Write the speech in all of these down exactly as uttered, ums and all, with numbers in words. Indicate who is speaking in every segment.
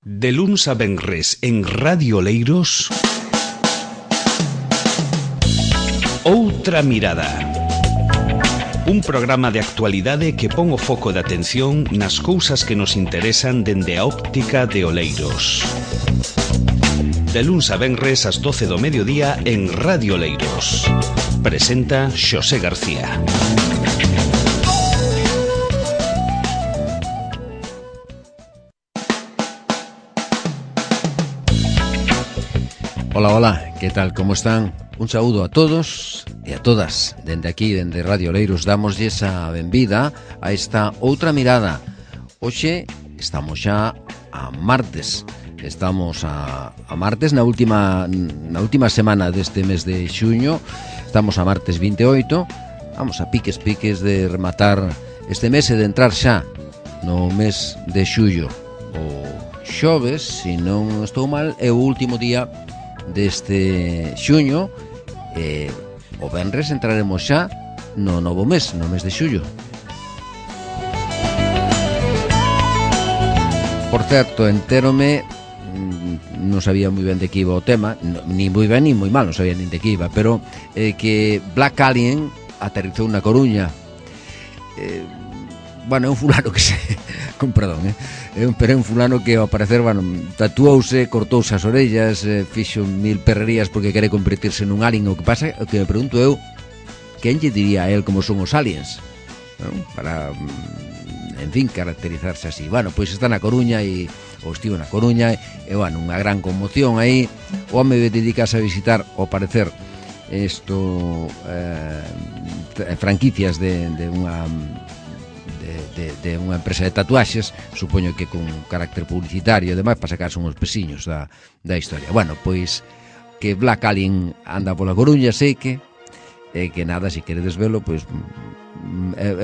Speaker 1: De luns a venres en Radio Oleiros, Outra Mirada. Un programa de actualidade que pon o foco de atención nas cousas que nos interesan dende a óptica de Oleiros. De luns a venres ás doce do mediodía en Radio Oleiros. Presenta Xosé García.
Speaker 2: Hola, hola, que tal, como están? Un saúdo a todos e a todas. Dende aquí, dende Radio Oleiros, damoslle a benvida a esta Outra Mirada. Hoxe estamos xa a martes. Estamos a, a martes na última na última semana deste mes de xuño. Estamos a martes vinte e oito. Vamos a piques piques de rematar este mes e de entrar xa no mes de xullo. O xoves, se non estou mal, é o último día deste xuño. E o venres entraremos xa no novo mes, no mes de xullo. Por certo, entérome, non sabía moi ben de que iba o tema, ni moi ben ni moi mal, non sabía nin de que iba, pero eh, que Black Alien aterrizou na Coruña. Eh, bueno, é un fulano que se... con perdón, eh? É un, pero é un fulano que ao parecer, bueno, tatuouse, cortouse as orellas, eh, fixo mil perrerías porque quere convertirse nun alien. O que pasa, o que me pregunto eu, quen lle diría a él como son os aliens, ¿no? Para, en fin, caracterizarse así. Bueno, pois está na Coruña e ou estivo na Coruña e, bueno, unha gran conmoción aí. O home dedicase a visitar, ao parecer, isto eh, franquicias de, de unha de, de unha empresa de tatuaxes, supoño que con carácter publicitario e demais, para sacarse uns pesiños da, da historia. Bueno, pois que Black Alien anda pola Coruña, sei que e que nada, se queredes velo, pois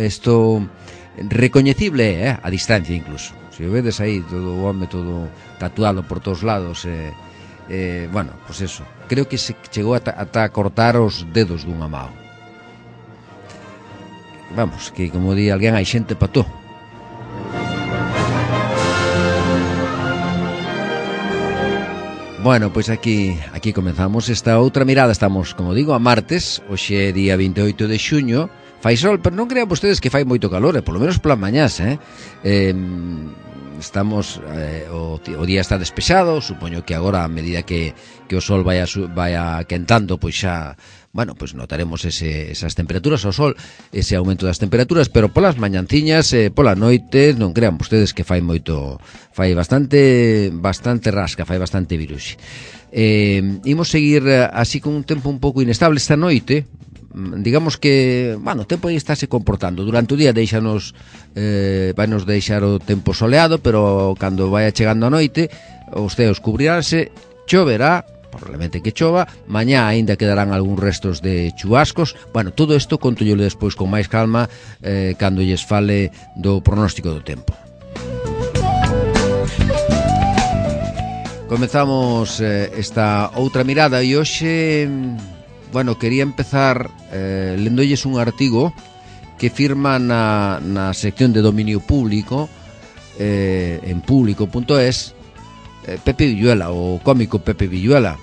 Speaker 2: isto recoñecible, eh, a distancia incluso. Se o vedes aí, todo o home todo tatuado por todos lados, eh, eh, bueno, pois eso, creo que se chegou ata, ata cortar os dedos dunha mao. Vamos, que como di alguén, hai xente pa todo. Bueno, pois aquí aquí comenzamos esta outra mirada. Estamos, como digo, a martes. Hoxe é día vinte e oito de xuño. Fai sol, pero non crean vostedes que fai moito calor, eh? Polo menos polas mañás, eh? eh estamos eh, o, o día está despexado. Supoño que agora, a medida que, que o sol vai, a, vai a quentando, pois xa, bueno, pois notaremos ese, esas temperaturas, o sol, ese aumento das temperaturas, pero polas mañanciñas, eh, pola noite, non crean vostedes que fai moito, fai bastante bastante rasca, fai bastante viruxe. Eh, imos seguir así con un tempo un pouco inestable esta noite. Digamos que, bueno, o tempo aí estáse comportando. Durante o día deixanos eh, vai nos deixar o tempo soleado, pero cando vai chegando a noite os ceos cubriránse, choverá, probablemente que chova, mañá aínda quedarán algúns restos de chubascos. Bueno, todo isto contollelo despois con máis calma eh, cando lles fale do pronóstico do tempo. Comezamos eh, esta outra mirada e hoxe, bueno, quería empezar eh, lendolles un artigo que firma na, na sección de dominio público eh, en público punto es eh, Pepe Villuela, o cómico Pepe Villuela,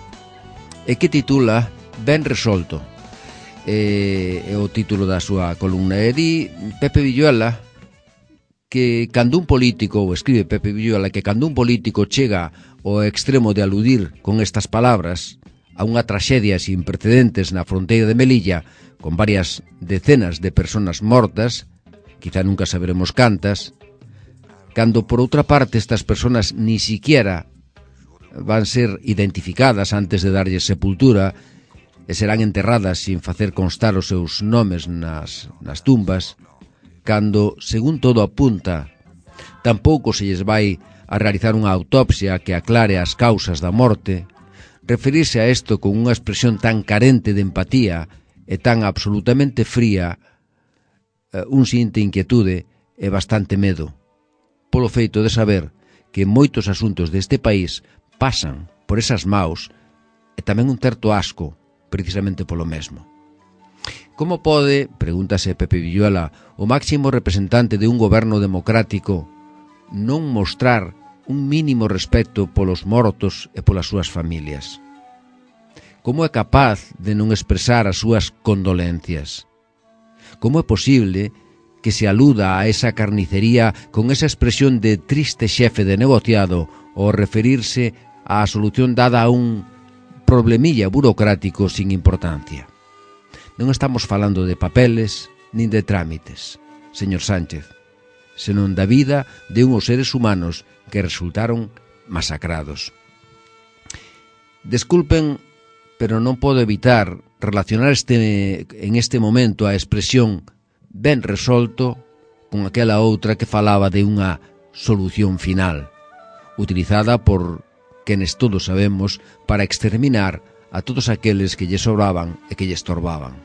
Speaker 2: e que titula Ben resolto. Eh, é o título da súa columna. E di Pepe Villuela que cando un político, ou escribe Pepe Villuela, que cando un político chega ao extremo de aludir con estas palabras a unha traxedia sin precedentes na fronteira de Melilla, con varias decenas de personas mortas, quizá nunca saberemos cantas, cando por outra parte estas personas ni siquiera van ser identificadas antes de darlles sepultura e serán enterradas sin facer constar os seus nomes nas, nas tumbas, cando, según todo apunta, tampouco se lles vai a realizar unha autopsia que aclare as causas da morte, referirse a isto con unha expresión tan carente de empatía e tan absolutamente fría, un sinte inquietude e bastante medo, polo feito de saber que moitos asuntos deste país pasan por esas maus e tamén un certo asco, precisamente polo mesmo. Como pode, pregúntase Pepe Villuela, o máximo representante de un goberno democrático non mostrar un mínimo respecto polos mortos e polas súas familias? Como é capaz de non expresar as súas condolencias? Como é posible que se aluda a esa carnicería con esa expresión de triste xefe de negociado ao referirse á solución dada a un problemilla burocrático sin importancia? Non estamos falando de papeles nin de trámites, señor Sánchez, senón da vida de unhos seres humanos que resultaron masacrados. Desculpen, pero non podo evitar relacionar este, en este momento a expresión ben resolto con aquela outra que falaba de unha solución final, utilizada por quenes todos sabemos para exterminar a todos aqueles que lle sobraban e que lle estorbaban.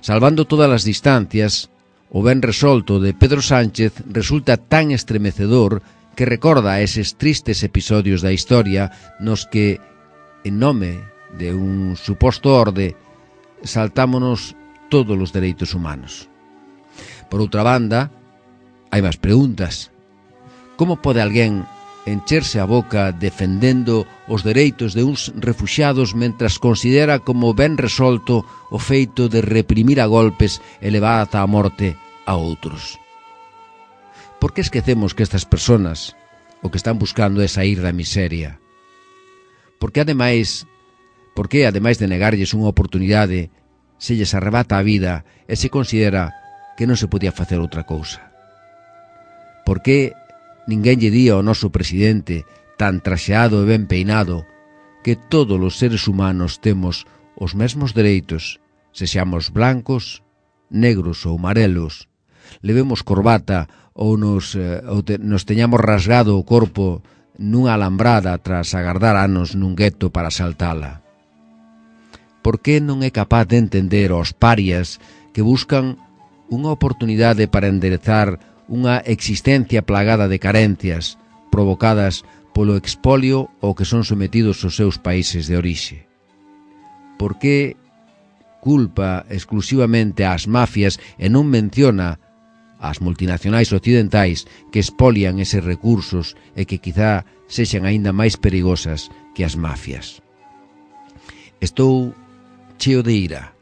Speaker 2: Salvando todas as distancias, o ben resolto de Pedro Sánchez resulta tan estremecedor que recorda eses tristes episodios da historia nos que, en nome de un suposto orde, saltámonos todos os dereitos humanos. Por outra banda, hai máis preguntas. Como pode alguén encherse a boca defendendo os dereitos de uns refuxiados mentras considera como ben resolto o feito de reprimir a golpes e levar ata a morte a outros? Por que esquecemos que estas persoas o que están buscando é sair da miseria? Por que ademais, por que ademais de negarlles unha oportunidade se lles arrebata a vida e se considera que non se podía facer outra cousa? Por que ninguén lle di ao noso presidente, tan traxeado e ben peinado, que todos os seres humanos temos os mesmos dereitos, se seamos blancos, negros ou amarelos, levemos corbata ou nos, eh, ou te, nos teñamos rasgado o corpo nunha alambrada tras agardar anos nun gueto para saltala? Por que non é capaz de entender aos parias que buscan unha oportunidade para enderezar unha existencia plagada de carencias provocadas polo expolio ao que son sometidos os seus países de orixe? Por que culpa exclusivamente ás mafias e non menciona ás multinacionais occidentais que expolian eses recursos e que quizá sexan aínda máis perigosas que as mafias? Estou cheo de ira.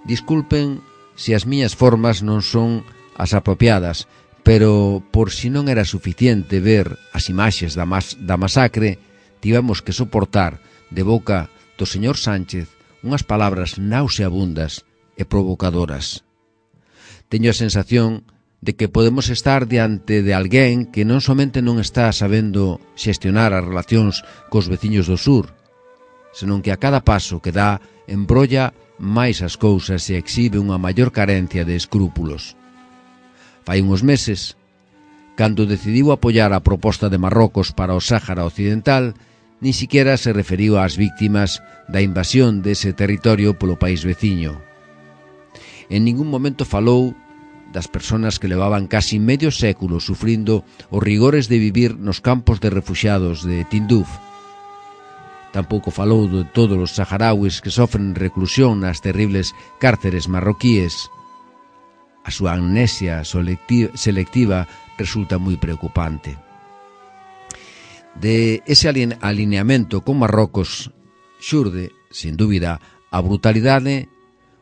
Speaker 2: Disculpen se as miñas formas non son as apropiadas, pero por si non era suficiente ver as imaxes da, mas, da masacre, tivemos que soportar de boca do señor Sánchez unhas palabras nauseabundas e provocadoras. Teño a sensación de que podemos estar diante de alguén que non somente non está sabendo xestionar as relacións cos veciños do sur, senón que a cada paso que dá embrolla máis as cousas e exhibe unha maior carencia de escrúpulos. Fai uns meses, cando decidiu apoiar a proposta de Marrocos para o Sáhara Occidental, nin siquiera se referiu ás víctimas da invasión dese territorio polo país veciño. En ningún momento falou das persoas que levaban casi medio século sufrindo os rigores de vivir nos campos de refuxiados de Tinduf. Tampouco falou de todos os saharauis que sofren reclusión nas terribles cárceres marroquíes. A súa amnesia selectiva resulta moi preocupante. De ese alineamento con Marrocos xurde, sin dúbida, a brutalidade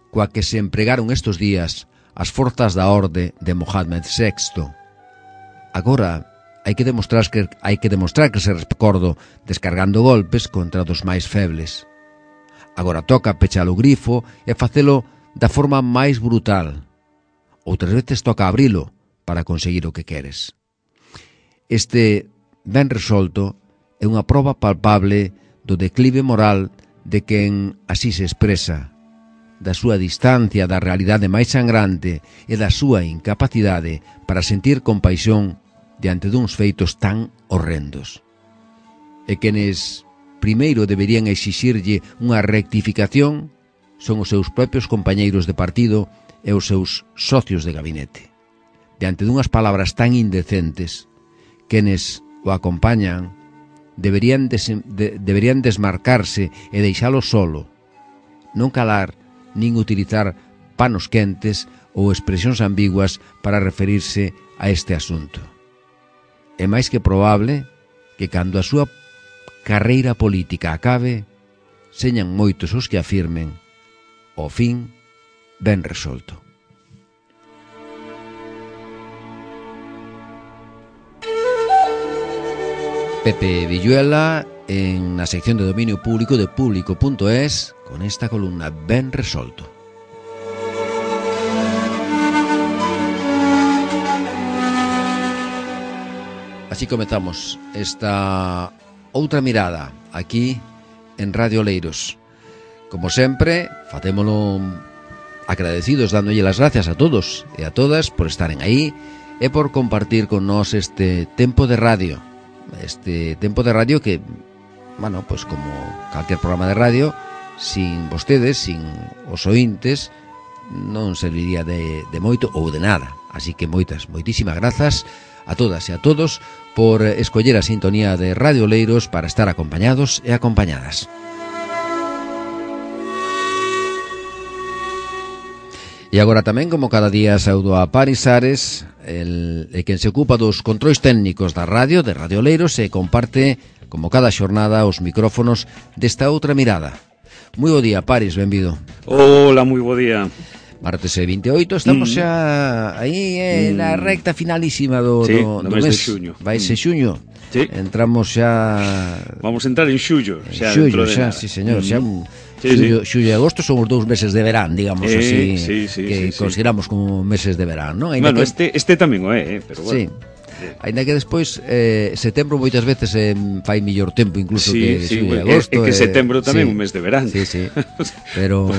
Speaker 2: coa que se empregaron estes días as forzas da orde de Mohamed sexto. Agora, hai que demostrar que hai que demostrar que se recordo descargando golpes contra dos máis febles. Agora toca pechar o grifo e facelo da forma máis brutal. Outras veces toca abrilo para conseguir o que queres. Este ben resolto é unha proba palpable do declive moral de quen así se expresa, da súa distancia da realidade máis sangrante e da súa incapacidade para sentir compaixón diante duns feitos tan horrendos. E quenes primeiro deberían exixirlle unha rectificación son os seus propios compañeiros de partido e os seus socios de gabinete. Diante dunhas palabras tan indecentes, quenes o acompañan deberían, des, de, deberían desmarcarse e deixalo solo, non calar nin utilizar panos quentes ou expresións ambiguas para referirse a este asunto. é máis que probable que cando a súa carreira política acabe, señan moitos os que afirmen o fin ben resolto. Pepe Villuela en na sección de dominio público de público punto es con esta columna ben resolto. Así comezamos esta outra mirada aquí en Radio Oleiros. Como sempre, facémolo agradecidos, dándolle las gracias a todos e a todas por estaren aí e por compartir con nós este tempo de radio. Este tempo de radio que, bueno, pues como calquer programa de radio, sin vostedes, sin os ointes, non serviría de, de moito ou de nada. Así que moitas, moitísimas grazas a todas e a todos por escoller a sintonía de Radio Oleiros para estar acompañados e acompañadas. E agora tamén, como cada día, saudo a Paris Ares, el, el quen se ocupa dos controis técnicos da radio, de Radio Oleiros, e comparte, como cada xornada, os micrófonos desta outra mirada. Moi bo día, Paris, benvido.
Speaker 3: Hola, moi bo día.
Speaker 2: Martes e vinte e oito, estamos xa mm. aí eh, mm. na recta finalísima do,
Speaker 3: sí,
Speaker 2: do,
Speaker 3: do
Speaker 2: do
Speaker 3: mes
Speaker 2: mes
Speaker 3: de xuño.
Speaker 2: Vai ser xuño.
Speaker 3: Sí.
Speaker 2: Entramos xa...
Speaker 3: Vamos a entrar en xullo, xa
Speaker 2: xullo,
Speaker 3: dentro de
Speaker 2: xa,
Speaker 3: nada.
Speaker 2: sí, señor,
Speaker 3: mm.
Speaker 2: xa un...
Speaker 3: Sí,
Speaker 2: xullo,
Speaker 3: sí.
Speaker 2: xullo e agosto son os dous meses de verán, digamos
Speaker 3: eh,
Speaker 2: así,
Speaker 3: sí, sí,
Speaker 2: que
Speaker 3: sí,
Speaker 2: consideramos
Speaker 3: sí.
Speaker 2: como meses de verán, non?
Speaker 3: Bueno,
Speaker 2: que...
Speaker 3: este, este tamén o é, eh, pero bueno.
Speaker 2: Sí. Ainda que despois eh, setembro moitas veces eh, fai mellor tempo incluso
Speaker 3: sí,
Speaker 2: que
Speaker 3: sí,
Speaker 2: xullo e
Speaker 3: é,
Speaker 2: agosto.
Speaker 3: É que setembro tamén é
Speaker 2: sí,
Speaker 3: un mes de verán.
Speaker 2: Sí, sí. Pero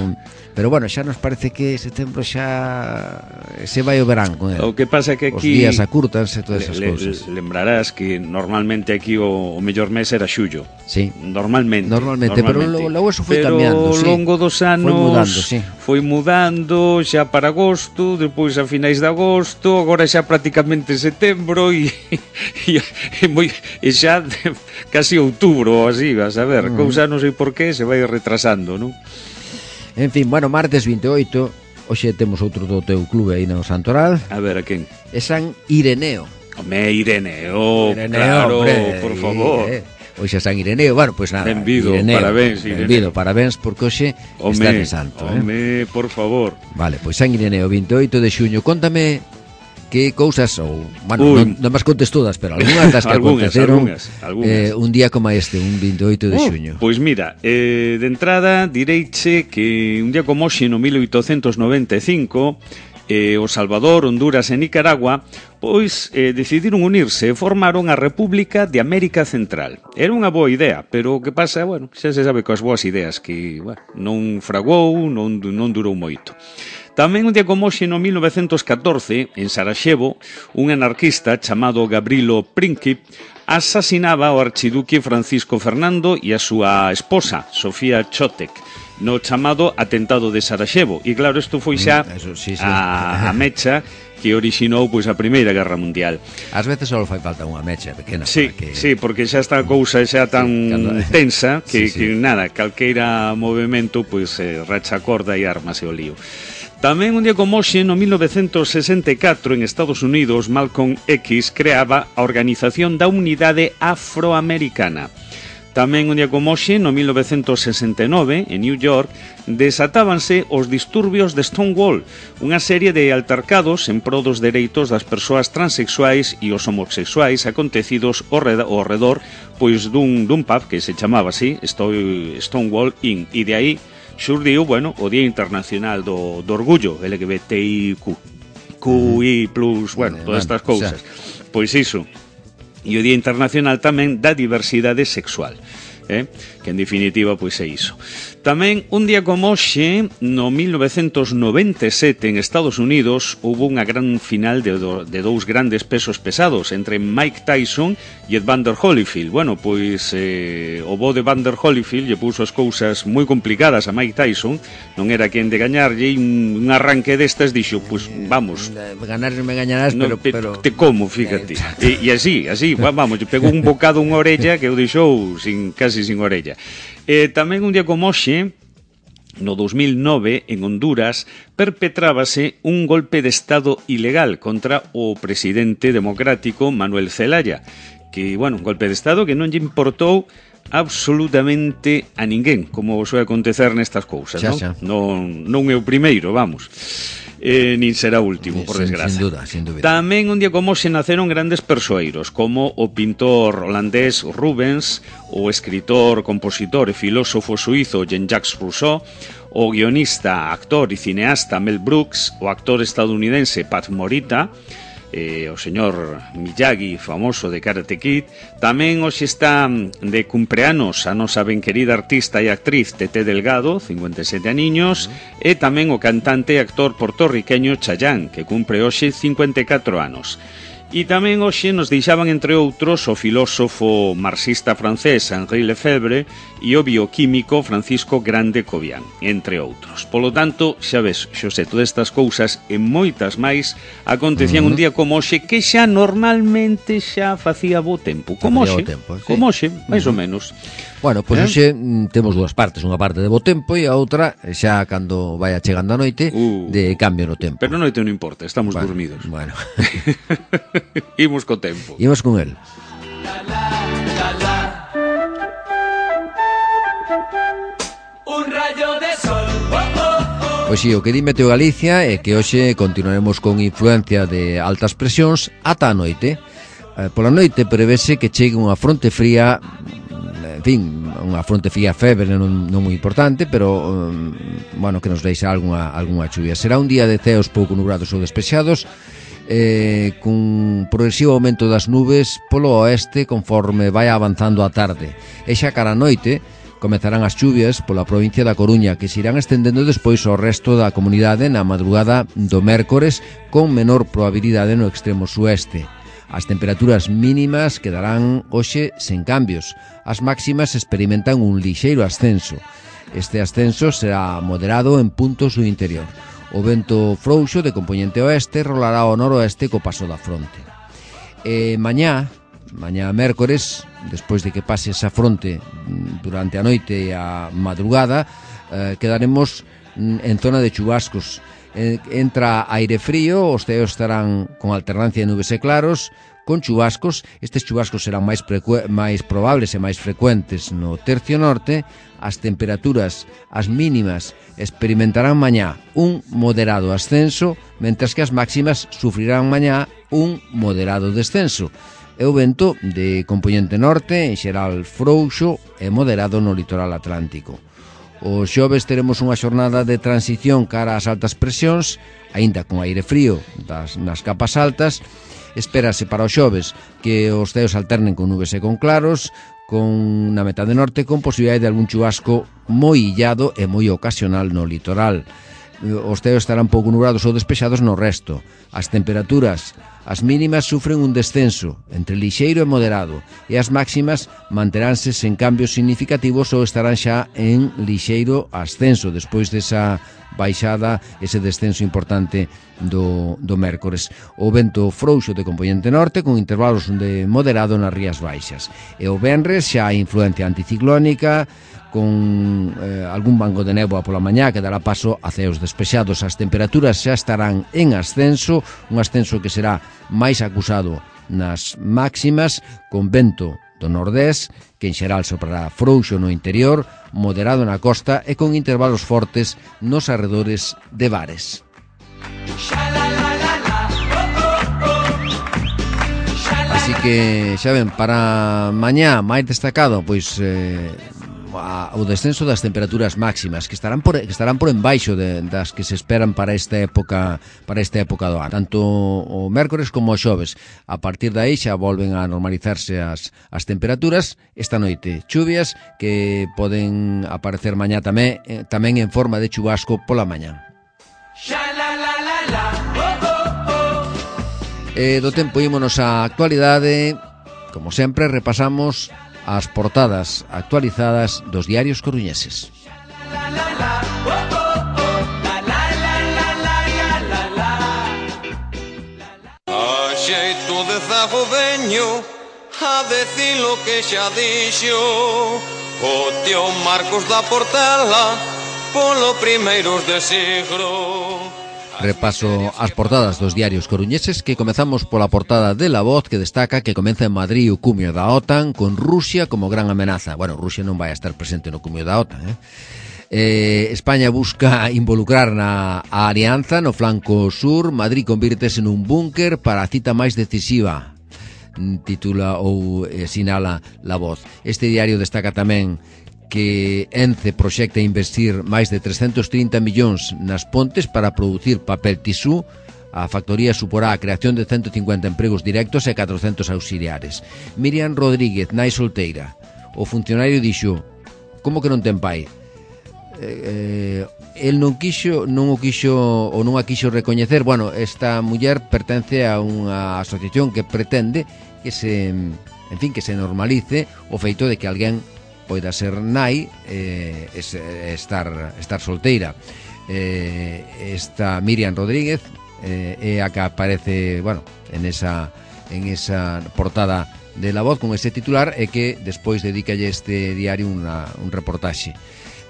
Speaker 2: pero bueno, xa nos parece que setembro xa se vai o verán con el.
Speaker 3: O que pasa é que aquí
Speaker 2: os días acurtanse todas esas
Speaker 3: le,
Speaker 2: cousas.
Speaker 3: Le, lembrarás que normalmente aquí o, o mellor mes era xullo.
Speaker 2: Sí.
Speaker 3: Normalmente.
Speaker 2: Normalmente,
Speaker 3: normalmente.
Speaker 2: pero logo eso foi
Speaker 3: pero
Speaker 2: cambiando, sí.
Speaker 3: Pero ao longo dos anos
Speaker 2: foi mudando, sí.
Speaker 3: Foi mudando xa para agosto, depois a finais de agosto, agora xa prácticamente setembro e e, e, moi, e xa casi outubro ou así, vas a ver, mm. cousa non sei por qué se vai retrasando, non?
Speaker 2: En fin, bueno, martes vinte e oito, hoxe temos outro do teu clube aí no Santoral.
Speaker 3: A ver, a quen?
Speaker 2: É San Ireneo.
Speaker 3: Home, Ireneo,
Speaker 2: Ireneo,
Speaker 3: claro,
Speaker 2: hombre,
Speaker 3: por favor.
Speaker 2: Eh, hoxe é San Ireneo, bueno, pois pues nada.
Speaker 3: Benvido,
Speaker 2: Ireneo,
Speaker 3: parabéns, Ireneo.
Speaker 2: Benvido, parabéns, porque hoxe
Speaker 3: home,
Speaker 2: está de santo.
Speaker 3: Home,
Speaker 2: eh?
Speaker 3: por favor.
Speaker 2: Vale, pois pues San Ireneo, vinte e oito de xuño. Contame que cousas, ou, bueno, non, non máis contes todas, pero algunhas das que
Speaker 3: algunas,
Speaker 2: aconteceron
Speaker 3: algunas, algunas.
Speaker 2: Eh, un día como este, un vinte e oito de xuño.
Speaker 3: Uh, pois mira, eh, de entrada direiche que un día como hoxe no mil oitocentos noventa e cinco eh, o Salvador, Honduras e Nicaragua pois eh, decidiron unirse e formaron a República de América Central. Era unha boa idea, pero o que pasa, bueno, xa se sabe coas boas ideas que, bueno, non fragou, non, non durou moito. Tamén un día como hoxe no mil novecentos catorce, en Sarajevo, un anarquista chamado Gavrilo Princip asasinaba ao archiduque Francisco Fernando e a súa esposa, Sofía Chotek, no chamado atentado de Sarajevo. E claro, isto foi xa
Speaker 2: Eso, sí, sí.
Speaker 3: a, a mecha que orixinou pois a Primeira Guerra Mundial.
Speaker 2: Ás veces só fai falta unha mecha pequena.
Speaker 3: Sí,
Speaker 2: que...
Speaker 3: sí, porque xa está a cousa xa tan sí, cando... tensa que,
Speaker 2: sí, sí.
Speaker 3: que nada, calqueira movimento pois eh, racha a corda e armase o lío. Tamén un día como hoxe, no mil novecentos sesenta e catro, en Estados Unidos, Malcolm X creaba a Organización da Unidade Afroamericana. Tamén un día como hoxe, no mil novecentos sesenta e nove, en New York, desatábanse os disturbios de Stonewall, unha serie de altercados en pro dos dereitos das persoas transexuais e os homosexuais acontecidos ao redor pois dun, dun pub que se chamaba así, Stonewall Inn, e de aí xurdiu, bueno, o Día Internacional do, do Orgullo, L G B T I Q, Q I plus, bueno, todas estas cousas. Pois iso. E o Día Internacional tamén da Diversidade Sexual, eh? Que en definitiva pois é iso. Tamén un día como hoxe, no mil novecentos noventa e sete, en Estados Unidos, hubo unha gran final de, do, de dous grandes pesos pesados entre Mike Tyson e Evander Holyfield. Bueno, pois eh, o bo de Evander Holyfield lle puso as cousas moi complicadas a Mike Tyson, non era quen de gañarlle, un, un arranque destas dixo, pois vamos,
Speaker 2: ganar non me gañarás, pero,
Speaker 3: no, pe,
Speaker 2: pero...
Speaker 3: te como, fíjate. E, e así, así, vamos, pegou un bocado unha orella que o deixou sin, casi sin orella. Eh, tamén un día como hoxe, no dos mil nove, en Honduras, perpetrábase un golpe de Estado ilegal contra o presidente democrático Manuel Zelaya, que, bueno, un golpe de Estado que non lle importou absolutamente a ninguén, como soe acontecer nestas cousas,
Speaker 2: xa,
Speaker 3: non?
Speaker 2: xa.
Speaker 3: Non, non é o primeiro, vamos. Eh, nin será o último, por
Speaker 2: sin,
Speaker 3: desgracia.
Speaker 2: Sin dúda, sin dúbida.
Speaker 3: Tamén un día como se naceron grandes persoeiros, como o pintor holandés Rubens, o escritor, compositor e filósofo suizo Jean-Jacques Rousseau, o guionista, actor e cineasta Mel Brooks, o actor estadounidense Pat Morita, eh, o señor Miyagi, famoso de Karate Kid. Tamén hoxe está de cumpleanos a nosa ben querida artista e actriz Tete Delgado, cincuenta e sete aniños, uh-huh. E tamén o cantante e actor portorriqueño Chayanne, que cumpre hoxe cincuenta e catro anos. E tamén hoxe nos deixaban, entre outros, o filósofo marxista francés Henri Lefebvre e o bioquímico Francisco Grande Cobian, entre outros. Polo tanto, xa ves, Xosé, todas estas cousas e moitas máis acontecían uh-huh. un día como hoxe, que xa normalmente xa facía bo tempo. Como hoxe,
Speaker 2: tempo, sí.
Speaker 3: como hoxe, máis uh-huh. ou menos.
Speaker 2: Bueno, pois pues, eh? hoxe mm, temos dúas partes, unha parte de bo tempo e a outra, xa cando vai chegando a noite, uh, de cambio no tempo.
Speaker 3: Pero a noite non importa, estamos
Speaker 2: bueno,
Speaker 3: dormidos.
Speaker 2: Bueno.
Speaker 3: Imos co tempo.
Speaker 2: Imos con el.
Speaker 4: La, la, la, la. Un rayo de sol. Oh, oh, oh.
Speaker 2: Pois si, o que di Meteo Galicia é que hoxe continuaremos con influencia de altas presións ata a noite. Eh, pola noite prevese que chegue unha fronte fría, en fin, unha fronte fría febre non, non moi importante, pero um, bueno, que nos deixa algunha, algunha chuvia. Será un día de ceos pouco nubrados ou despexados, eh, cun progresivo aumento das nubes polo oeste conforme vai avanzando a tarde. E xa cara a noite comezarán as chuvias pola provincia da Coruña, que se irán estendendo despois ao resto da comunidade na madrugada do mércores, con menor probabilidade no extremo sueste. As temperaturas mínimas quedarán hoxe sen cambios. As máximas experimentan un lixeiro ascenso. Este ascenso será moderado en puntos do interior. O vento frouxo de compoñente oeste rolará ao noroeste co paso da fronte. E mañá, mañá mércores, despois de que pase esa fronte durante a noite e a madrugada, eh, quedaremos en zona de chubascos. Entra aire frío, os ceos estarán con alternancia de nubes e claros, con chubascos. Estes chubascos serán máis, precu- máis probables e máis frecuentes no tercio norte. As temperaturas, as mínimas, experimentarán mañá un moderado ascenso, mentras que as máximas sufrirán mañá un moderado descenso. E o vento de compoñente norte, en xeral frouxo e moderado no litoral atlántico. O xoves teremos unha xornada de transición cara ás altas presións, aínda con aire frío das, nas capas altas. Espérase para o xoves que os ceos alternen con nubes e con claros, con na metade norte con posibilidade de algún chubasco moi illado e moi ocasional no litoral. Os ceos estarán pouco nubrados ou despexados no resto. As temperaturas, as mínimas sufren un descenso entre lixeiro e moderado, e as máximas manteránse sen cambios significativos ou estarán xa en lixeiro ascenso despois desa baixada, ese descenso importante do, do mércores. O vento frouxo de compoñente norte con intervalos de moderado nas rías baixas. E o venres xa a influencia anticiclónica, con eh, algún banco de néboa pola mañá que dará paso a ceos despexados. As temperaturas xa estarán en ascenso, un ascenso que será máis acusado nas máximas, con vento do nordés, que en xeral soprará frouxo no interior, moderado na costa e con intervalos fortes nos arredores de bares. Así que, xa ven, para mañá máis destacado, pois eh, o descenso das temperaturas máximas que estarán por que estarán por embaixo de, das que se esperan para esta época para esta época do ano. Tanto o mércores como o xoves. A partir de aí xa volven a normalizarse as as temperaturas. Esta noite chuvias que poden aparecer mañá tamén eh, tamén en forma de chubasco pola mañá. E do tempo ímonos á actualidade. Como sempre repasamos as portadas actualizadas dos diarios coruñeses.
Speaker 5: A xeito de zago veño a decir lo que xa dixo o tío Marcos da Portela polo primeiros de siglo.
Speaker 2: Repaso as portadas dos diarios coruñeses, que comezamos pola portada de La Voz, que destaca que comeza en Madrid o cumio da OTAN con Rusia como gran amenaza. Bueno, Rusia non vai a estar presente no cumio da OTAN, eh? Eh, España busca involucrar na a alianza no flanco sur. Madrid convírtese nun búnker para a cita máis decisiva, titula ou eh, sinala La Voz. Este diario destaca tamén que Ence proxecta investir máis de trescentos trinta millóns nas Pontes para producir papel tisú. A factoría suporá a creación de ciento cincuenta empregos directos e catrocentos auxiliares. Miriam Rodríguez, nai solteira. O funcionario dixo: como que non ten pai? Eh, el non quixo, non o quixo ou non a quixo recoñecer. Bueno, esta muller pertence a unha asociación que pretende que se, en fin, que se normalice o feito de que alguén poida ser nai eh, es, estar, estar solteira. Eh, esta Miriam Rodríguez eh, é a que aparece, bueno, en esa, en esa portada de La Voz con ese titular, e que despois dedicalle este diario una, un reportaxe.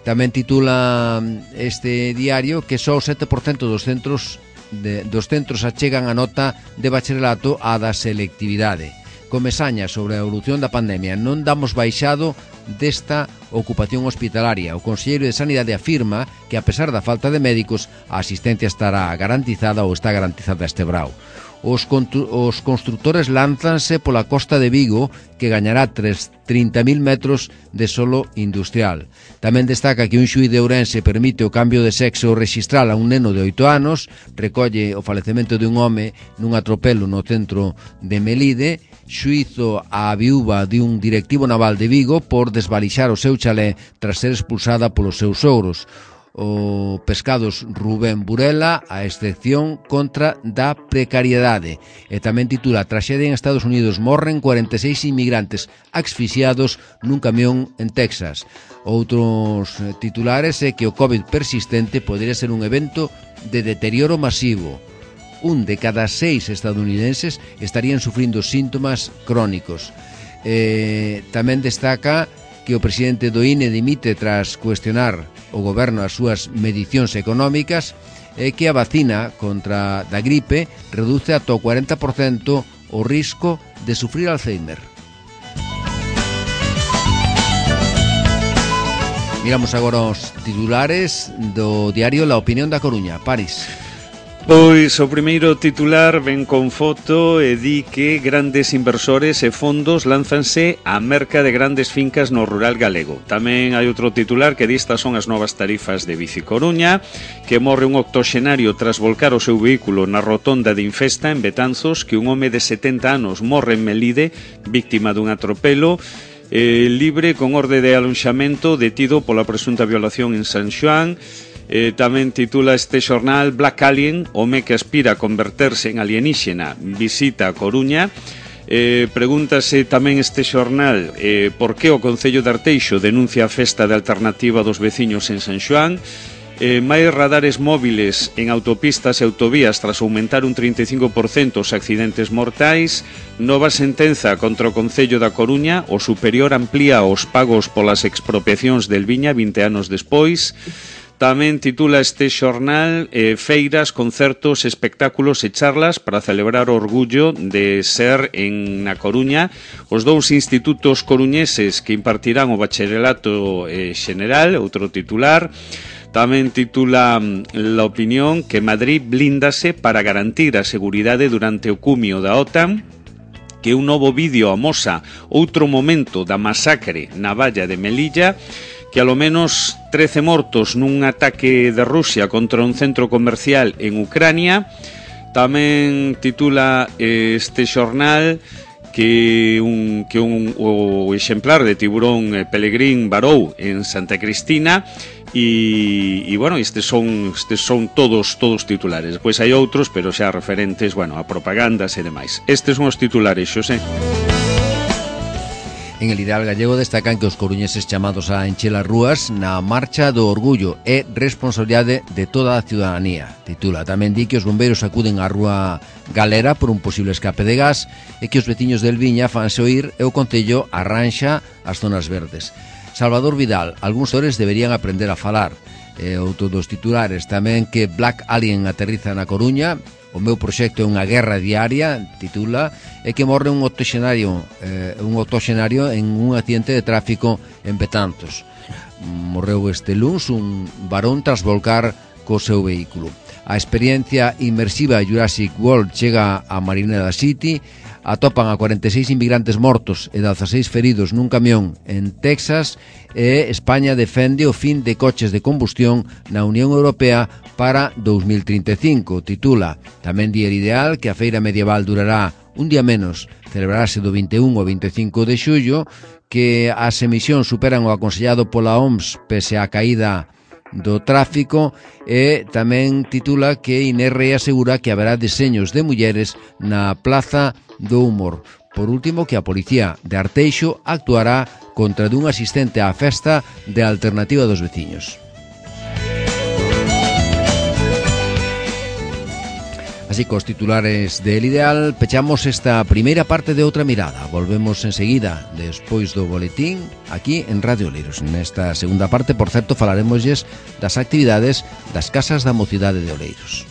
Speaker 2: Tamén titula este diario que só o sete por cento dos centros de, dos centros achegan a nota de bacharelato á da selectividade. Comesaña sobre a evolución da pandemia: non damos baixado desta ocupación hospitalaria. O conselleiro de Sanidade afirma que, a pesar da falta de médicos, a asistencia estará garantizada ou está garantizada este brao. Os, os constructores lánzanse pola costa de Vigo, que gañará trinta mil metros de solo industrial. Tamén destaca que un xuíz de Ourense permite o cambio de sexo rexistral a un neno de oito anos, recolle o falecemento de un home nun atropelo no centro de Melide, xuízo á viúva de un directivo naval de Vigo por desvalixar o seu chalé tras ser expulsada polos seus sogros. O Pescados Rubén Burela, a excepción contra da precariedade. E tamén titula: traxedia en Estados Unidos, morren cuarenta e seis inmigrantes asfixiados nun camión en Texas. Outros titulares é que o COVID persistente podería ser un evento de deterioro masivo. Un de cada seis estadounidenses estarían sufrindo síntomas crónicos. Eh, tamén destaca que o presidente do I N E dimite tras cuestionar o goberno as súas medicións económicas, e que a vacina contra da gripe reduce ata o cuarenta por cento o risco de sufrir Alzheimer. Miramos agora os titulares do diario La Opinión da Coruña. París.
Speaker 3: Pois o primeiro titular ven con foto e di que grandes inversores e fondos lánzanse á merca de grandes fincas no rural galego. Tamén hai outro titular que di estas son as novas tarifas de Bici Coruña, que morre un octoxenario tras volcar o seu vehículo na rotonda de Infesta en Betanzos, que un home de setenta anos morre en Melide, víctima dun atropelo, eh, libre con orde de alonxamento, detido pola presunta violación en San Xoán. Eh, tamén titula este xornal: Black Alien, home que aspira a converterse en alienígena, visita a Coruña. Eh, pregúntase tamén este xornal eh, por que o Concello de Arteixo denuncia a festa de alternativa dos veciños en San Xoán. Eh, máis radares móviles en autopistas e autovías tras aumentar un trinta e cinco por cento os accidentes mortais. Nova sentenza contra o Concello da Coruña: o superior amplía os pagos polas expropiacións del Viña vinte anos despois. Tamén titula este xornal eh, feiras, concertos, espectáculos e charlas para celebrar o orgullo de ser en na Coruña os dous institutos coruñeses que impartirán o bacharelato eh, xeneral. Outro titular. Tamén titula La Opinión que Madrid blíndase para garantir a seguridade durante o cumio da OTAN, que un novo vídeo amosa outro momento da masacre na valla de Melilla, que alo menos trece mortos nun ataque de Rusia contra un centro comercial en Ucrania. Tamén titula este xornal que un, que un o exemplar de tiburón pelegrín varou en Santa Cristina. E, e bueno, estes son estes son todos todos titulares. Pois hai outros, pero xa referentes, bueno, a propagandas e demais. Estes son os titulares, Xosé.
Speaker 2: En el Ideal Gallego destacan que os coruñeses chamados a encher as rúas na Marcha do Orgullo é responsabilidade de toda a ciudadanía. Titula. Tamén di que os bombeiros acuden á rúa Galera por un posible escape de gas e que os veciños del Viña fanse oír e o Concello arranxa as zonas verdes. Salvador Vidal, algúns actores deberían aprender a falar. E outro dos titulares tamén que Black Alien aterriza na Coruña. O meu proxecto é unha guerra diaria, titula, e que morre un octoxenario, eh, un octoxenario en un accidente de tráfico en Betanzos. Morreu este luns un varón tras volcar co seu vehículo. A experiencia inmersiva Jurassic World chega a Marineda City. Atopan a cuarenta e seis inmigrantes mortos e dezaseis feridos nun camión en Texas, e España defende o fin de coches de combustión na Unión Europea para dous mil trinta e cinco. Titula tamén Día Ideal que a feira medieval durará un día menos, celebrarase do vinte e un ao vinte e cinco de xullo, que as emisións superan o aconsellado pola O M S pese á caída do tráfico, e tamén titula que Inerre asegura que haberá deseños de mulleres na Plaza do Humor. Por último, que a Policía de Arteixo actuará contra dun asistente á festa de Alternativa dos Veciños. Así, cos titulares del Ideal, pechamos esta primeira parte de Outra Mirada. Volvemos enseguida, despois do boletín, aquí en Radio Oleiros. Nesta segunda parte, por certo, falaremosles das actividades das Casas da Mocidade de Oleiros.